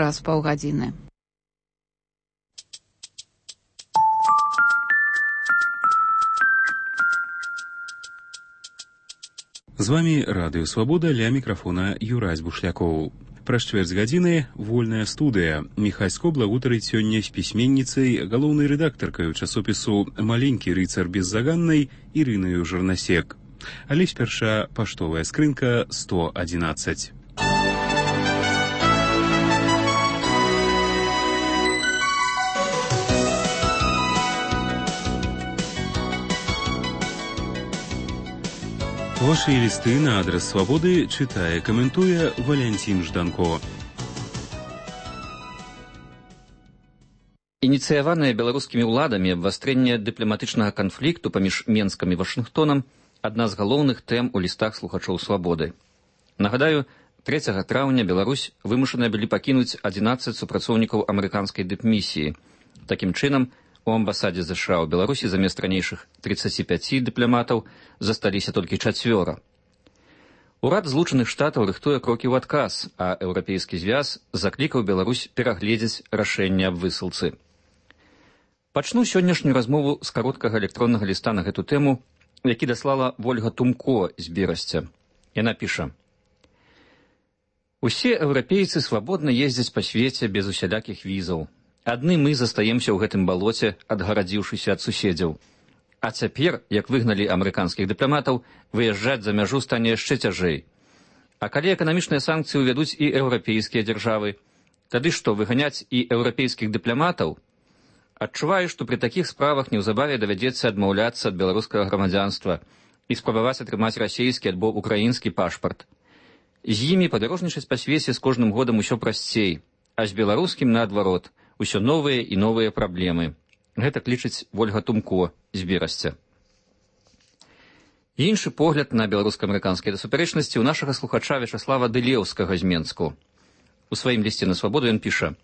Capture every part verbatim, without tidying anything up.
праз паўгадзіны. З вами Радыё Свабода, ля мікрафона Юрась Бушлякоў. Праз чвэрць гадзіны вольная студыя. Міхась Скобла гутарыць сёння з пісьменніцай, галоўнай рэдактаркаю часопісу «Маленькі рыцар беззаганнай» Ірынаю Жырнасек. Але спярша паштовая скрынка сто адзінаццаць. Ваши листы на адрес Свободы читая, комментуя Валентин Жданко. Ініцыяванае беларускімі ўладамі абвастрэнне дыпламатычнага канфлікту паміж Менскам і Вашынгтонам адна з галоўных тэм у лістах слухачоў Свабоды. Нагадаю, трэцяга траўня Беларусь вымушаная былі пакінуць адзінаццаць супрацоўнікаў амерыканскай дыпмісіі. Такім чынам, у амбасадзе ЗША ў Беларусі замест ранейшых трыццаці пяці дыпламатаў засталіся толькі чацвёра. Урад Злучаных Штатаў рыхтуе крокі ў адказ, а Еўрапейскі звяз заклікаў Беларусь перагледзець рашэнне аб высылцы. Пачну сённяшнюю размову з кароткага электроннага ліста на гэту тэму, які даслала Вольга Тумко з Берасця. Яна піша: «Усе еўрапейцы свабодна ездзяць па свеце без усялякіх візаў. Адны мы застаемся ў гэтым балоце, адгарадзіўшыся ад суседзяў. А цяпер, як выгналі амерыканскіх дыпламатаў, выязджаць за мяжу стане яшчэ цяжэй. А калі эканамічныя санкцыі ўвядуць і еўрапейскія дзяржавы, тады што, выганяць і еўрапейскіх дыпламатаў? Адчуваю, што пры такіх справах неўзабаве давядзецца адмаўляцца ад беларускага грамадзянства і спрабаваць атрымаць расейскі альбо украінскі пашпарт. З імі падарожнічаць па свеце з кожным годам усё прасцей, а з беларускім наадварот, усё новыя і новыя праблемы. Гэта лічыць Вольга Тумко з Берасця. Іншы погляд на беларуска-амерыканскія супярэчнасці ў нашага слухача Вячаслава Дылеўскага з Менску. У сваім лісце на Свабоду ён піша: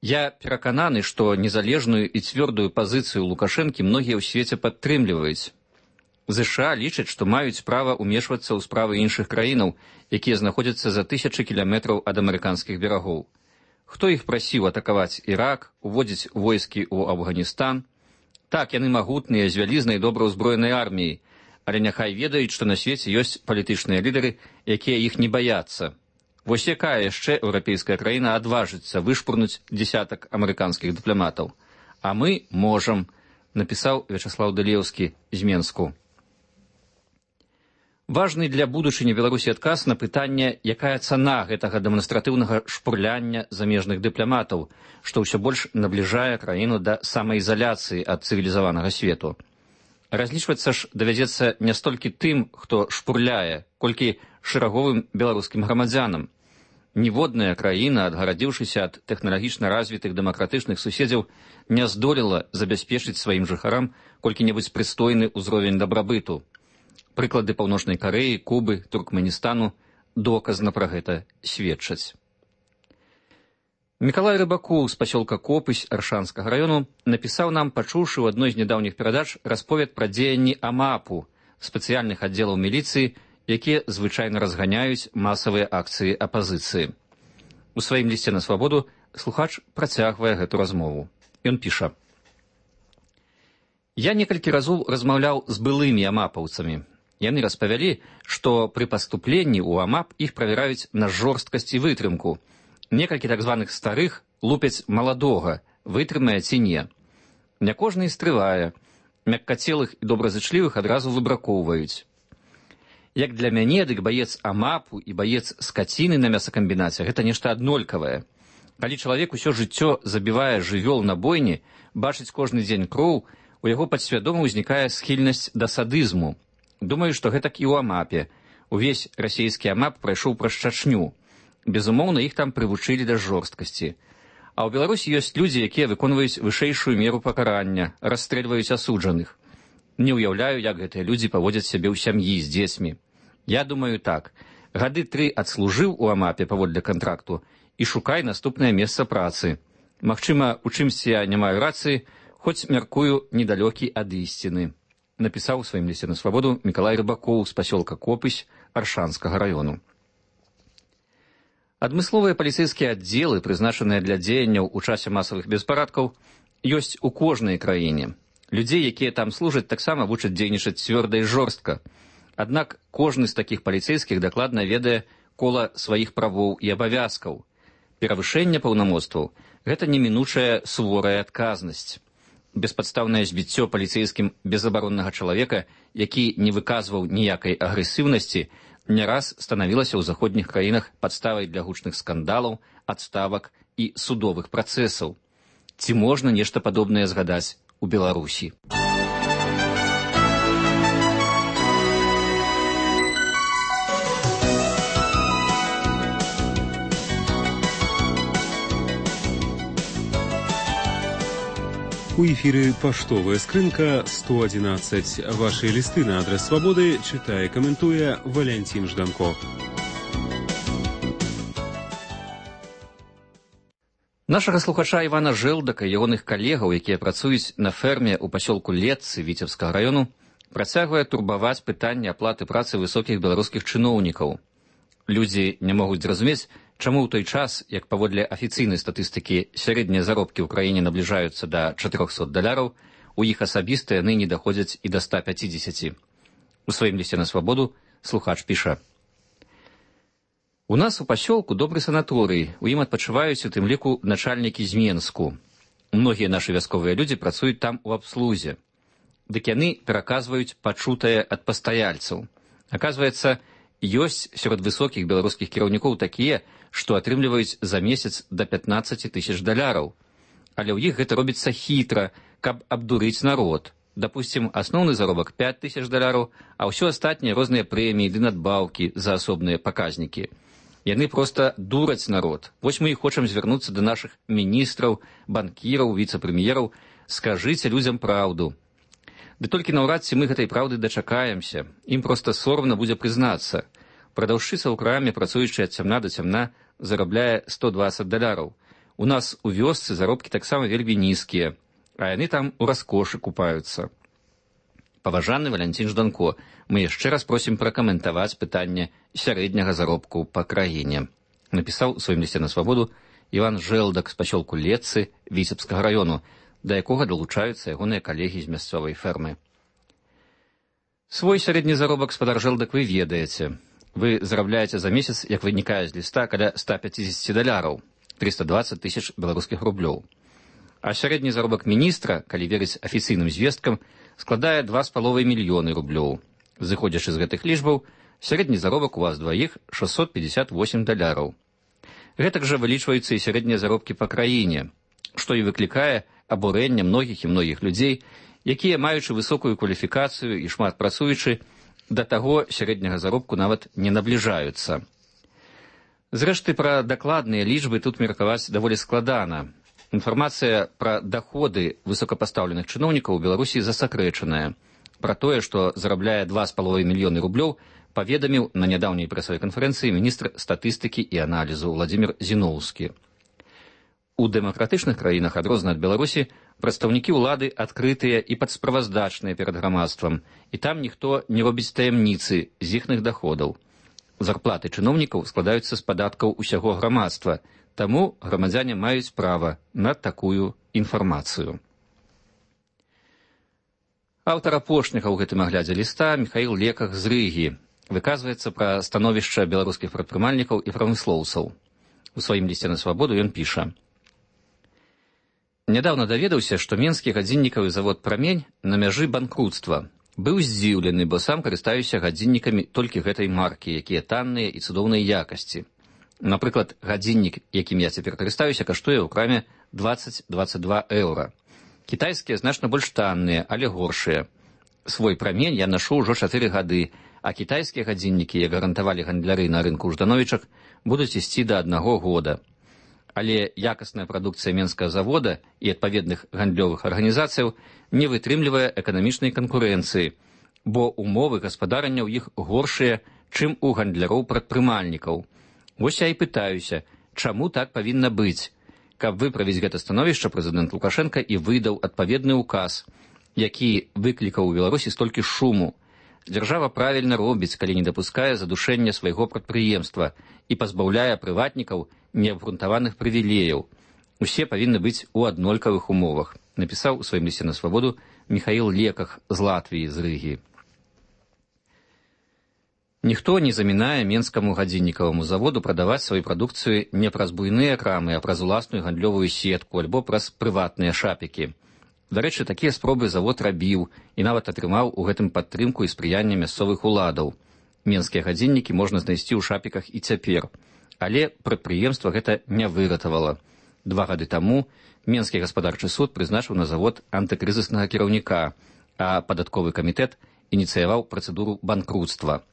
«Я перакананы, што незалежную і цвёрдую пазіцыю Лукашэнкі многія ў свеце падтрымліваюць. ЗША лічаць, што маюць права ўмешвацца ў справы іншых краінаў, якія знаходзяцца за тысячы кіламетраў ад амерыканскіх берагоў. Хто іх прасіў атакаваць Ірак, уводзіць войскі ў Афганістан? Так, яны магутныя, з вялізнай добра ўзброенай арміяй, але няхай ведаюць, што на свеце ёсць палітычныя лідары, якія іх не баяцца. Вось якая яшчэ еўрапейская краіна адважыцца вышпурнуць дзесятак амерыканскіх дыпламатаў? А мы можам», напісаў Вячаслаў Дылеўскі з Менску. Важны для будучыні Беларусі адказ на пытанне, якая цана гэтага дэманстратыўнага шпурляння замежных дыпламатаў, што ўсё больш набліжае краіну да самаізаляцыі ад цывілізаванага свету. Разлічвацца ж давядзецца не столькі тым, хто шпурляе, колькі шэраговым беларускім грамадзянам. Ніводная краіна, адгарадзіўшыся ад тэхналагічна развітых дэмакратычных суседзяў, не здолела забяспечыць сваім жыхарам колькі-небудзь прыстойны ўзровень дабрабыту. Прыклады Паўночнай Карэі, Кубы, Туркменістану доказна пра гэта сведчаць. Мікалай Рыбакоў з пасёлка Копысь Аршанскага раёну напісаў нам, пачуўшы ў адной з нядаўніх перадач расповед пра дзеянні АМАПу, спецыяльных аддзелаў міліцыі, якія звычайна разганяюць масавыя акцыі апазіцыі. У сваім лісце на Свабоду слухач працягвае гэту размову. Ён піша: «Я некалькі разоў размаўляў з былымі амапаўцамі. Яны распавялі, што пры паступленні ў АМАП іх правяраюць на жорсткасць і вытрымку. Некалькі так званых старых лупяць маладога, вытрымае ці не. Не кожны і стрывае. Мяккацелых і добразычлівых адразу выбракоўваюць. Як для мяне, дык баец АМАПу і баец скаціны на мясакамбінаце — гэта нешта аднолькавае. Калі чалавек усё жыццё забівае жывёл на бойні, бачыць кожны дзень кроў, у яго падсвядома ўзнікае схільнасць да садызму. Думаю, што гэтак і ў АМАПе. Увесь расійскі АМАП прайшоў праз Чачню. Безумоўна, іх там прывучылі да жорсткасці. А ў Беларусі ёсць людзі, якія выконваюць вышэйшую меру пакарання, расстрэльваюць асуджаных. Не ўяўляю, як гэтыя людзі паводзяць сябе ў сям'і з дзецьмі. Я думаю так. Гады тры адслужыў у АМАПе паводле кантракту і шукай наступнае месца працы. Магчыма, у чымсьці я не маю рацыі, хоць мяркую недалёкі ад ісціны», напісаў у сваім лісце на Свабоду Мікалай Рыбакоў з пасёлка Копысь Аршанскага раёну. Адмысловыя паліцэйскія аддзелы, прызначаныя для дзеянняў у часе масавых беспарадкаў, ёсць у кожнай краіне. Людзей, якія там служаць, таксама вучаць дзейнічаць цвёрда і жорстка. Аднак кожны з такіх паліцэйскіх дакладна ведае кола сваіх правоў і абавязкаў. Перавышэнне паўнамоцтваў – гэта немінучая суворая адказнасць. Беспадстаўнае збіццё паліцэйскім безабароннага чалавека, які не выказваў ніякай агрэсіўнасці, не раз станавілася ў заходніх краінах падставай для гучных скандалаў, адставак і судовых працэсаў. Ці можна нешта падобнае згадаць у Беларусі? У эфіры паштовая скрынка сто одиннадцать. Ваши листы на адрес Свободы читае, каментуе Валентин Жданко. Нашага слухача Івана Жэлдака і ягоных калегаў, якія працуюць на ферме ў пасёлку Летцы Віцебскага раёну, працягвае турбаваць пытанне аплаты працы высокіх беларускіх чыноўнікаў. Людзі не могуць зразумець, чаму ў той час, як паводле афіцыйнай статыстыкі сярэднія заробкі ў краіне набліжаюцца да чатырохсот даляраў, у іх асабіста яны не даходзяць і да ста пяцідзесяці. У сваім лісце на Свабоду слухач піша: «У нас у пасёлку добры санаторый, у ім адпачываюць у тым ліку начальнікі з Менску. Многія нашы вясковыя людзі працуюць там у абслузе. Дык яны пераказваюць пачутае ад пастаяльцаў. Аказваецца, ёсць сярод высокіх беларускіх кіраўнікоў такія, што атрымліваюць за месяц да пятнаццаці тысяч даляраў. Але ў іх гэта робіцца хітра, каб абдурыць народ. Дапусцім, асноўны заробак пяць тысяч даляраў, а ўсё астатнія розныя прэміі ды надбаўкі за асобныя паказнікі. Яны проста дураць народ. Вось мы і хочам звярнуцца да нашых міністраў, банкіраў, віцэ-прэм'ераў. Скажыце людзям праўду. Ды толькі наўрад ці мы гэтай праўды дачакаемся. Ім проста сорамна будзе прызнацца. Прадаўшчыца ў краме, працуючая ад цямна да цямна, зарабляе сто дваццаць даляраў. У нас у вёсцы заробкі таксама вельмі нізкія, а яны там у раскошы купаюцца. Паважаны Валентин Жданко, мы яшчэ раз просім пракаментаваць пытанне сярэдняга заробку па краіне. Напісаў у сваім лісце на Свабоду Іван Жэлдак з пасёлку Летцы Віцебскага раёну, да якога далучаюцца ягоныя калегі з мясцовай фермы. Свой сярэдні заробак, спадар Жэлдак, вы ведаеце. Вы зарабляеце за месяц, як вынікае з ліста, каля ста пяцідзесяці даляраў, триста двадцать тысяч беларускіх рублёў. А сярэдні заробак міністра, калі верыць афіцыйным звесткам, складае два з паловай мільёны рублёў. Зыходзячы з гэтых лічбаў, сярэдні заробак у вас дваіх шэсцьсот пятьдесят восемь даляраў. Гэтак жа вылічваюцца і сярэднія заробкі па краіне, што і выклікае абурэнне многіх і многіх людзей, якія, маючы высокую кваліфікацыю і шмат працуючы, да таго сярэдняга заробку нават не набліжаюцца. Зрэшты, пра дакладныя лічбы тут меркаваць даволі складана. Інфармацыя пра даходы высокапастаўленых чыноўнікаў у Беларусі засакрэчаная. Пра тое, што зарабляе два з паловай мільёны рублёў, паведаміў на нядаўняй прэсавай канферэнцыі міністр статыстыкі і аналізу Владзімір Зіноўскі. У дэмакратычных краінах, адрозна ад Беларусі, прадстаўнікі ўлады адкрытыя і падсправаздачныя перад грамадствам, і там ніхто не робіць таямніцы з іхных даходаў. Зарплаты чыноўнікаў складаюцца з падаткаў усяго грамадства, таму грамадзяне маюць права на такую інфармацыю. Аўтар апошняга ў гэтым аглядзе ліста Міхаіл Леках з Рыгі выказваецца пра становішча беларускіх прадпрымальнікаў і прамыслоўцаў. У сваім лісце на Свабоду ён піша: «Нядаўна даведаўся, што менскі гадзіннікавы завод «Прамень» на мяжы банкруцтва. Быў здзіўлены, бо сам карыстаюся гадзіннікамі толькі гэтай маркі, якія танныя і цудоўнай якасці. Напрыклад, гадзіннік, якім я цяпер карыстаюся, каштуе ў краме дваццаць - дваццаць два еўра. Кітайскія значна больш танныя, але горшыя. Свой «Прамень» я нашу ўжо чатыры гады, а кітайскія гадзіннікі, як гарантавалі гандляры на рынку ў Ждановічах, будуць ісці да аднаго года. Але якасная прадукцыя менскага завода і адпаведных гандлёвых арганізацыяў не вытрымлівае эканамічнай канкурэнцыі, бо умовы гаспадарання ў іх горшыя, чым у гандляроў-прадпрымальнікаў. Вось я і пытаюся, чаму так павінна быць? Каб выправіць гэта становішча, прэзідэнт Лукашенка і выдаў адпаведны ўказ, які выклікаў у Беларусі столькі шуму. Дзяржава правільна робіць, калі не дапускае задушэння свайго прадпрыемства і пазбаўляе прыватнікаў неабгрунтаваных прывілеяў. Усе павінны быць у аднолькавых умовах, напісаў у сваім лісце на свабоду Міхаіл Леках з Латвіі, з Рыгі. Ніхто не замінае менскаму гадзіннікаваму заводу прадаваць сваю прадукцыю не праз буйныя крамы, а праз уласную гандлёвую сетку альбо праз прыватныя шапікі. Дарэчы, такія спробы завод рабіў і нават атрымаў у гэтым падтрымку і спрыянне мясцовых уладаў. Менскія гадзіннікі можна знайсці ў шапіках і цяпер. Але прадпрыемства гэта не выратавала. Два гады таму Менскі гаспадарчы суд прызначыў на завод антыкрызіснага кіраўніка, а падатковы камітэт ініцыяваў працэдуру банкруцтва.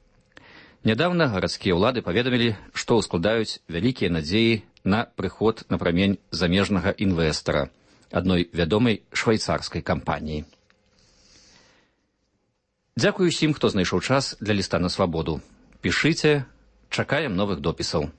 Нядаўна гарадскія ўлады паведамілі, што ўскладаюць вялікія надзеі на прыход на прамень замежнага інвестара, адной вядомай швайцарскай кампаніі. Дзякую усім, хто знайшоў час для ліста на свабоду. Пішыце, чакаем новых допісаў.